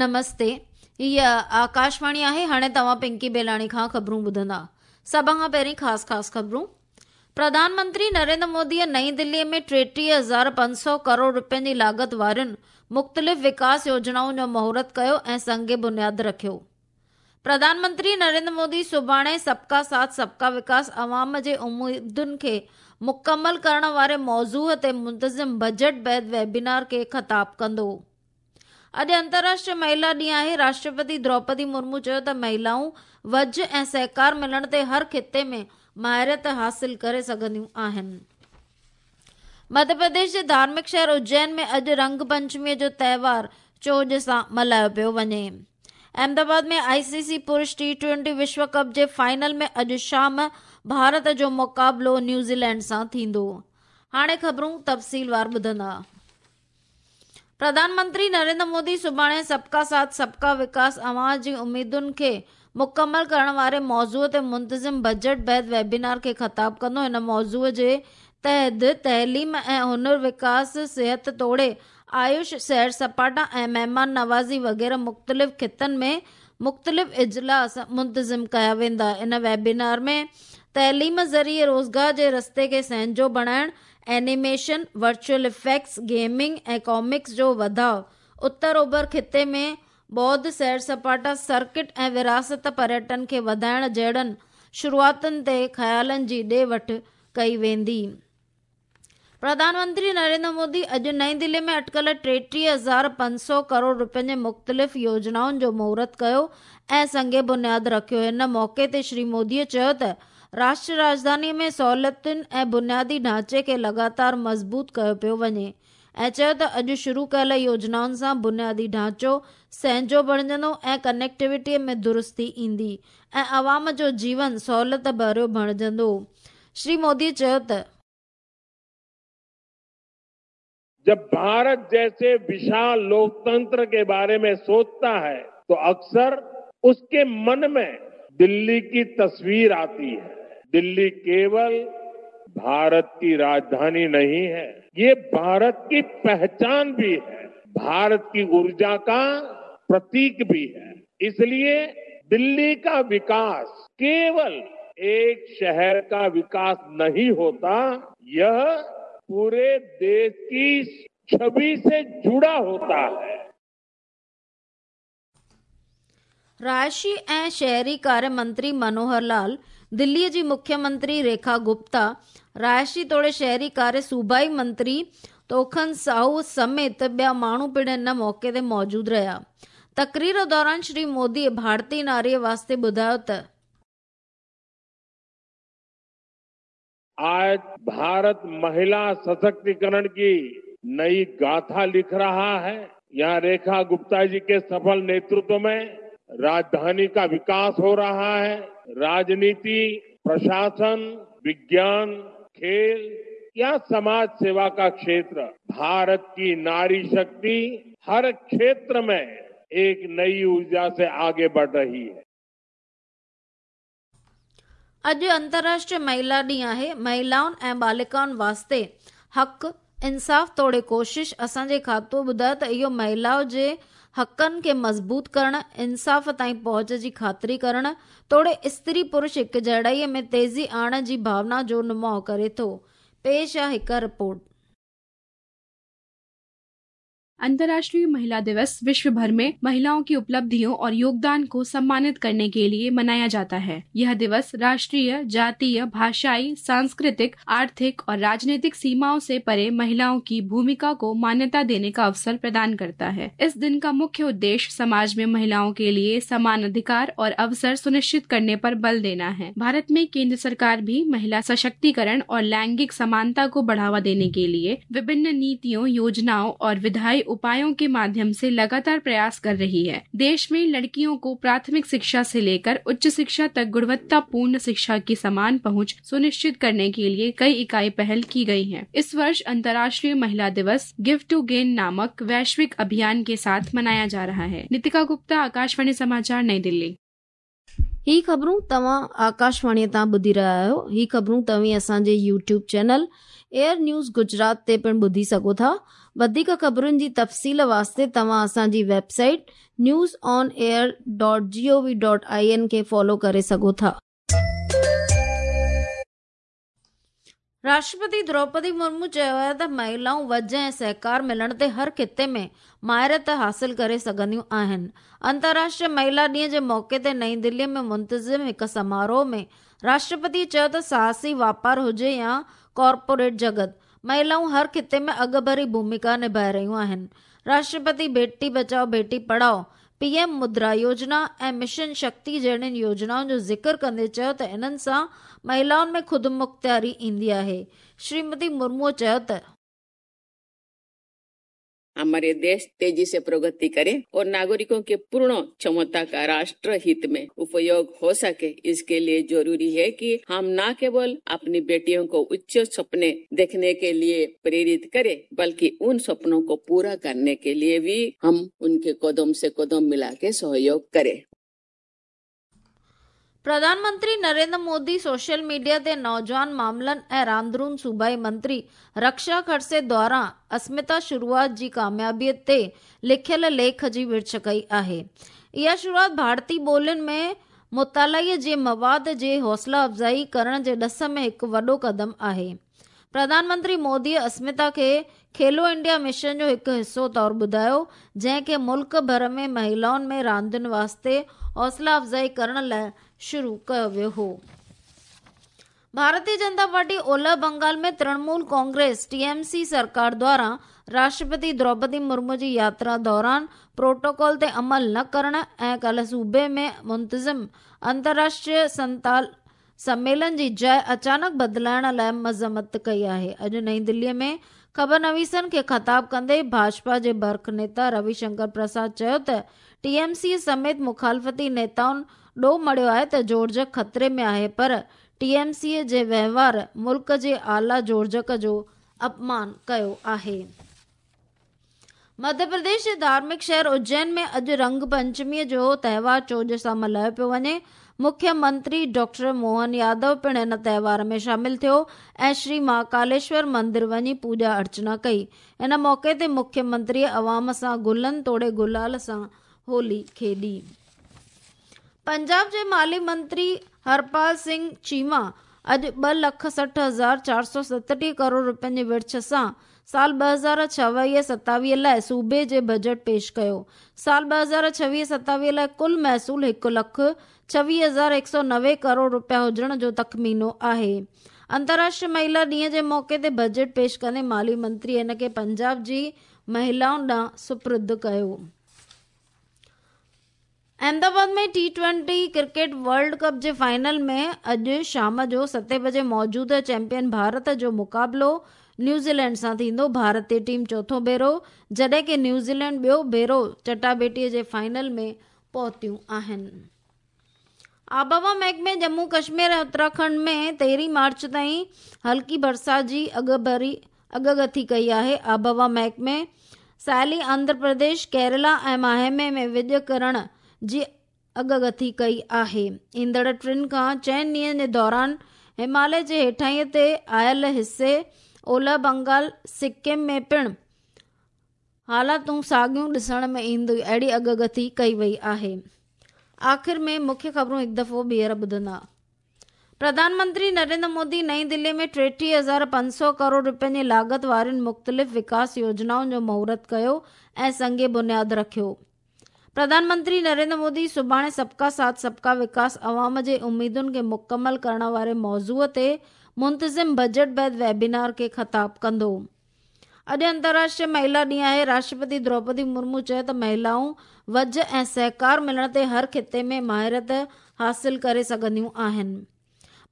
نمستي هيء آڪاشواڻي آهي هاڻي توهان پنڪي بيلاڻي کان خبرون ٻڌندا. سڀ کان پهرين خاص خاص خبرون. پرڌان منتري نريندر موديء نئين دليء ۾ 33,500 ڪروڙ رپين جي لاڳت وارين مختلف وڪاس يوجنائن جو مهورت ڪيو ۽ سنگ بنياد رکيو. پرڌان منتري نريندر مودي سڀاڻي سبڪا ساٿ سبڪا وڪاس عوام جي اميدن کي مڪمل ڪرڻ واري موضوع تي منتظم بجيٽ بعد ويبينار کي خطاب ڪندو. اڄ انترراشٽريه مهلا ڏينهن آهي، راشٽرپتي دروپدي مرمو چيو ته مهلائون وجهه ۽ سهڪار ملڻ تي هر خطي ۾ مهارت حاصل ڪري سگهنديون آهن. مڌيه پرديش جي ڌارمڪ شهر اجين ۾ اڄ رنگ پنچمي جو تهوار چوڄ سان ملهايو پيو وڃي. احمدآباد ۾ آء سي سي پرش ٽي ٽوئنٽي وشو ڪپ جي فائنل ۾ اڄ شام ڀارت جو مقابلو نيوزيلينڊ سان ٿيندو. هاڻي خبرون تفصيلوار ٻڌندا. پرڌان منتري نريندر مودي سڀاڻي سبڪا ساٿ سبڪا وڪاس عوام جي اميدن کي مڪمل ڪرڻ واري موضوع تي منتظم بجيٽ بعد ويبينار کي خطاب ڪندو. هن موضوع جي تحت تعليم ۽ هنر وڪاس، صحت توڙي آيوش، سير سپاٽا ۽ مهمان نوازي وغيره مختلف خطن ۾ مختلف اجلاس منتظم ڪيا ويندا. ان ويبينار ۾ تعليم ذريعي روزگار جي رستي کي سهنجو بڻائڻ، animation, virtual effects, gaming ۽ comics جو وڌاء، اتر اوڀر خطي ۾ ٻوڌ سير سپاٽا سرڪٽ ۽ وراثت پريٽن کي وڌائڻ جهڙن شروعاتن تي خيالن جي ڏي وٺ ڪئي ويندي. پرڌان منتري نريندر مودي اڄ نئين دلي ۾ اٽڪل 33,500 ڪروڙ رپين جي مختلف يوجنائن جو مهورت ڪيو ۽ سنگ بنياد رکيو. هن موقعي تي شري مودي چيو ته راشٽر راڄڌاني ۾ سهولتن ۽ بنيادي ڍانچي کي لڳاتار مضبوط ڪيو پيو وڃي ۽ چيو ته اڄ شروع ڪيل يوجنائن سان بنيادي ڍانچو سهنجو بڻجندو ۽ ڪنيڪٽيوٽي ۾ درستي ايندي ۽ عوام جو جيون سهولت ڀريو بڻجندو. شري مودي چيو ته. جب ڀارت جيسي وشال لوڪتنتر ڪي باري ۾ سوچتا هي تو اڪثر اس ڪي من ۾ دلي ڪي تصوير آتي هي. دلي ڪيول ڀارت ڪي راجڌاني نهين هي، يي ڀارت ڪي پهچان ڀي هي، ڀارت ڪي اورجا ڪا پرتيڪ ڀي هي. اس ليي دلي ڪا وڪاس ڪيول ايڪ شهر ڪا وڪاس نهين هوتا، يه پوري ديش ڪي ڇوي سي جڙا هوتا هي. رهائشي ۽ شهري ڪاريه منتري منوهر لال، دليء جي مکيه منتري ريکا گپتا، رهائشي توڙي شهري ڪاريه صوبائي منتري توکن ساهو سميت ٻيا ماڻهو پڻ ان موقعي تي موجود رهيا. تقرير دوران شري موديء ڀارتي ناريء واسطي ٻڌايو ته. آج ڀارت مهلا سشڪتيڪرڻ ڪي نئي گاٿا لک رها هي. يهان ريکا گپتا جي ڪي سڦل نيترتو ۾ راجڌاني ڪا وڪاس هو رها هي. راجنيتي، پرشاسن، وگيان، کيل يا سماج سيوا ڪا کيتر، ڀارت ڪي ناري شڪتي هر کيتر ۾ ايڪ نئي اورجا سي آگي بڙھ رهي هي. اڄ انترراشٽريه مهلا ڏينهن آهي، مهلائن ۽ ٻالڪائن واسطي حق، انصاف توڙي ڪوشش، اسان جي کاتو ٻڌايو ته اهو مهلاء جي حقن کي مضبوط ڪرڻ، انصاف تائين پهچ جي خاطري ڪرڻ توڙي استري پرش هڪجهڙائي ۾ تيزي آڻڻ جي ڀاونا جو نماء ڪري ٿو. پيش آ هڪ رپورٽ. अंतर्राष्ट्रीय महिला दिवस विश्व भर में महिलाओं की उपलब्धियों और योगदान को सम्मानित करने के लिए मनाया जाता है। यह दिवस राष्ट्रीय, जातीय, भाषाई, सांस्कृतिक, आर्थिक और राजनीतिक सीमाओं से परे महिलाओं की भूमिका को मान्यता देने का अवसर प्रदान करता है। इस दिन का मुख्य उद्देश्य समाज में महिलाओं के लिए समान अधिकार और अवसर सुनिश्चित करने पर बल देना है। भारत में केंद्र सरकार भी महिला सशक्तिकरण और लैंगिक समानता को बढ़ावा देने के लिए विभिन्न नीतियों, योजनाओं और विधायी उपायों के माध्यम से लगातार प्रयास कर रही है। देश में लड़कियों को प्राथमिक शिक्षा से लेकर उच्च शिक्षा तक गुणवत्तापूर्ण शिक्षा की समान पहुंच सुनिश्चित करने के लिए कई इकाई पहल की गई हैं। इस वर्ष अंतर्राष्ट्रीय महिला दिवस गिव टू गेन नामक वैश्विक अभियान के साथ मनाया जा रहा है। नितिका गुप्ता, आकाशवाणी समाचार, नई दिल्ली। هي خبرون توهان آڪاشواڻيء تان ٻڌي رهيا آهيو. هي خبرون توهين اسان جي YouTube channel AIR news Gujarat تي پڻ ٻڌي سگهو ٿا. وڌيڪ خبرن جي تفصيل واسطي توهان اسان جي website news on air dot G O V dot I N کي فالو ڪري سگهو ٿا. راشٽرپتي دروپدي مرمو چيو آهي ته مهلائون وجهه ۽ سهڪار ملڻ تي هر خطي ۾ مهارت حاصل ڪري سگهنديون آهن. انترراشٽريه مهلا ڏينهن جي موقعي تي نئين دلي ۾ منتظم هڪ سماروهه ۾ راشٽرپتي چيو ته ساهسي واپار هجي يا ڪارپوريٽ جڳت، مهلائون هر خطي ۾ اڳڀري ڀومڪا نڀائي رهيون آهن. راشٽرپتي بيٽي بچائو بيٽي پڙهائو، پي ايم مدرا يوجنا ۽ مشن شڪتي جهڙين يوجنائن جو ذڪر ڪندي چيو ته انهن سان مهلائن ۾ خودمختياري ايندي آهي. شريمتي مرموء چيو ته. हमारे देश तेजी से प्रगति करे और नागरिकों के पूर्ण क्षमता का राष्ट्र हित में उपयोग हो सके, इसके लिए जरूरी है कि हम न केवल अपनी बेटियों को उच्च सपने देखने के लिए प्रेरित करें, बल्कि उन सपनों को पूरा करने के लिए भी हम उनके कदम से कदम मिला के सहयोग करें। प्रधान मंत्री नरेंद्र मोदी सोशल मीडिया ते नौजवान मामलनि ऐं रांदरून सूबाई मंत्री रक्षा खड़से द्वारा अस्मिता शुरूआत जी कामयाबीअ ते लिखियल लेख जी विर्छ कई आहे। इहा शुरूआत भारतीय ॿोलियुनि में मुतालई जे मवाद जी हौसला अफ़ज़ाई करण जे ॾस में हिकु वॾो क़दम आहे। प्रधानमंत्री मोदीअ अस्मिता खे खेलो इंडिया मिशन जो हिकु हिसो तौरु ॿुधायो, जंहिं खे मुल्क भर में महिलाउनि में रांदियुनि वास्ते हौसला अफ़ज़ाई करण लाइ शुरू कयो वियो हो। भारतीय जनता पार्टी ओलह बंगाल में तृणमूल कांग्रेस टीएमसी सरकार द्वारा राष्ट्रपति द्रौपदी मुर्मू जी यात्रा दौरान प्रोटोकॉल ते अमल न करण ऐं काल्ह सूबे में मुंतज़िम अंतर्राष्ट्रीय संताल सम्मेलन जी जाइ अचानक बदिलाइण लाइ मज़म्मत कई आहे। अॼु नई दिल्लीअ में ख़बर नवीसनि खे ख़िताब कंदे भाजपा जे बर्ख नेता रविशंकर प्रसाद चयो त टीएमसी समेत मुखालफ़ती नेताउनि ॾोह मढ़ियो आहे त जोड़जक ख़तरे में आहे, पर टीएमसी जे वहिंवार मुल्क जे आला जोड़जक जो अपमान कयो आहे। मध्य प्रदेश जे धार्मिक शहर उज्जैन में अॼु रंग पंचमीअ जो तहिवार चोॼ सां मल्हायो पियो वञे। मुख्य मंत्री डॉक्टर मोहन यादव पिणु हिन तहिवार में शामिल थियो ऐं श्री महाकालेश्वर मंदिर वञी पूॼा अर्चना कई। इन मौक़े ते मुख्य मंत्रीअ अवाम सां गुलनि तोड़े गुलाल सां होली खेॾी। पंजाब जे माली मंत्री हरपाल सिंह चीमा अॼु 2,60,437 करोड़ रुपयनि जी विर्छ सां साल 2026-27 लाइ सूबे जे बजट पेश कयो। साल 2026-27 लाइ कुल महसूल 1,26,190 करोड़ रुपया हुजण जो तख़मीनो आहे। अंतर्राष्ट्रीय महिला ॾींहं जे मौक़े ते बजट पेश कंदे माली मंत्री हिन खे पंजाब जी महिलाउनि ॾांहुं सुपुर्द कयो। अहमदाबाद में टी20 क्रिकेट वर्ल्ड कप जे फाइनल में अॼु शाम जो 7 बजे मौजूदा चैंपियन भारत जो मुक़ाबिलो न्यूज़ीलैंड सां थींदो। भारतीय टीम चोथों भेरो जॾहिं की न्यूज़ीलैंड ॿियो भेरो चटाबेटीअ जे फाइनल में पहुतियूं आहिनि। आबहवा महकमे जम्मू कश्मीर ऐं उत्तराखंड में 13 मार्च ताईं हल्की बरसात जी अॻगथी कई आहे। आबहवा महकमे साहिली आंध्र प्रदेश, केरला ऐं माहे में विॼ करण जी अॻगथी कई आहे। ईंदड़ 3 खां 4 ॾींहनि जे दौरान हिमालय जे हेठाईं ते आयल हिसे ओलह बंगाल, सिक्किम में पिणु हालातूं साॻियूं ॾिसण में ईंदियूं, अहिड़ी अॻगथी कई वई आहे। आख़िर में मुख्य ख़बरूं हिकु दफ़ो ॿीहर ॿुधंदा। प्रधानमंत्री नरेंद्र मोदी नई दिल्ली में 33,500 करोड़ रुपयनि जी लागत वारियुनि मुख़्तलिफ़ विकास योजनाउनि जो मुहूर्त कयो ऐं संग बुनियाद रखियो। प्रधानमंत्री नरेंद्र मोदी सुभाणे सबका साथ सबका विकास अवाम जे उम्मीदुनि खे मुकमल करण वारे मौज़ूअ ते मुंतज़िम बजट बाद वेबिनार खे ख़िताब कंदो। अॼु अंतर्राष्ट्रीय महिला ॾींहुं आहे। राष्ट्रपति द्रौपदी मुर्मू चयो त महिलाऊं वज ऐं सहकार मिलण ते हर ख़िते में माहिरत हासिल करे सघंदियूं आहिनि।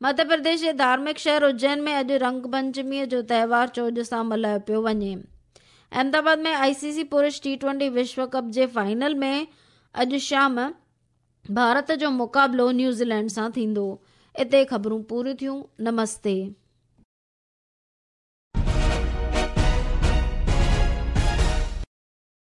मध्य प्रदेश जे धार्मिक शहर उज्जैन में अॼु रंग पंचमीअ जो तहिवार चोॼ सां मल्हायो पियो वञे। अहमदाबाद में आईसीसी पुरुष टी20 विश्व कप जे फाइनल में अॼु शाम भारत जो मुक़ाबिलो न्यूज़ीलैंड सां थींदो। हिते ख़बरूं पूरियूं थियूं। नमस्ते।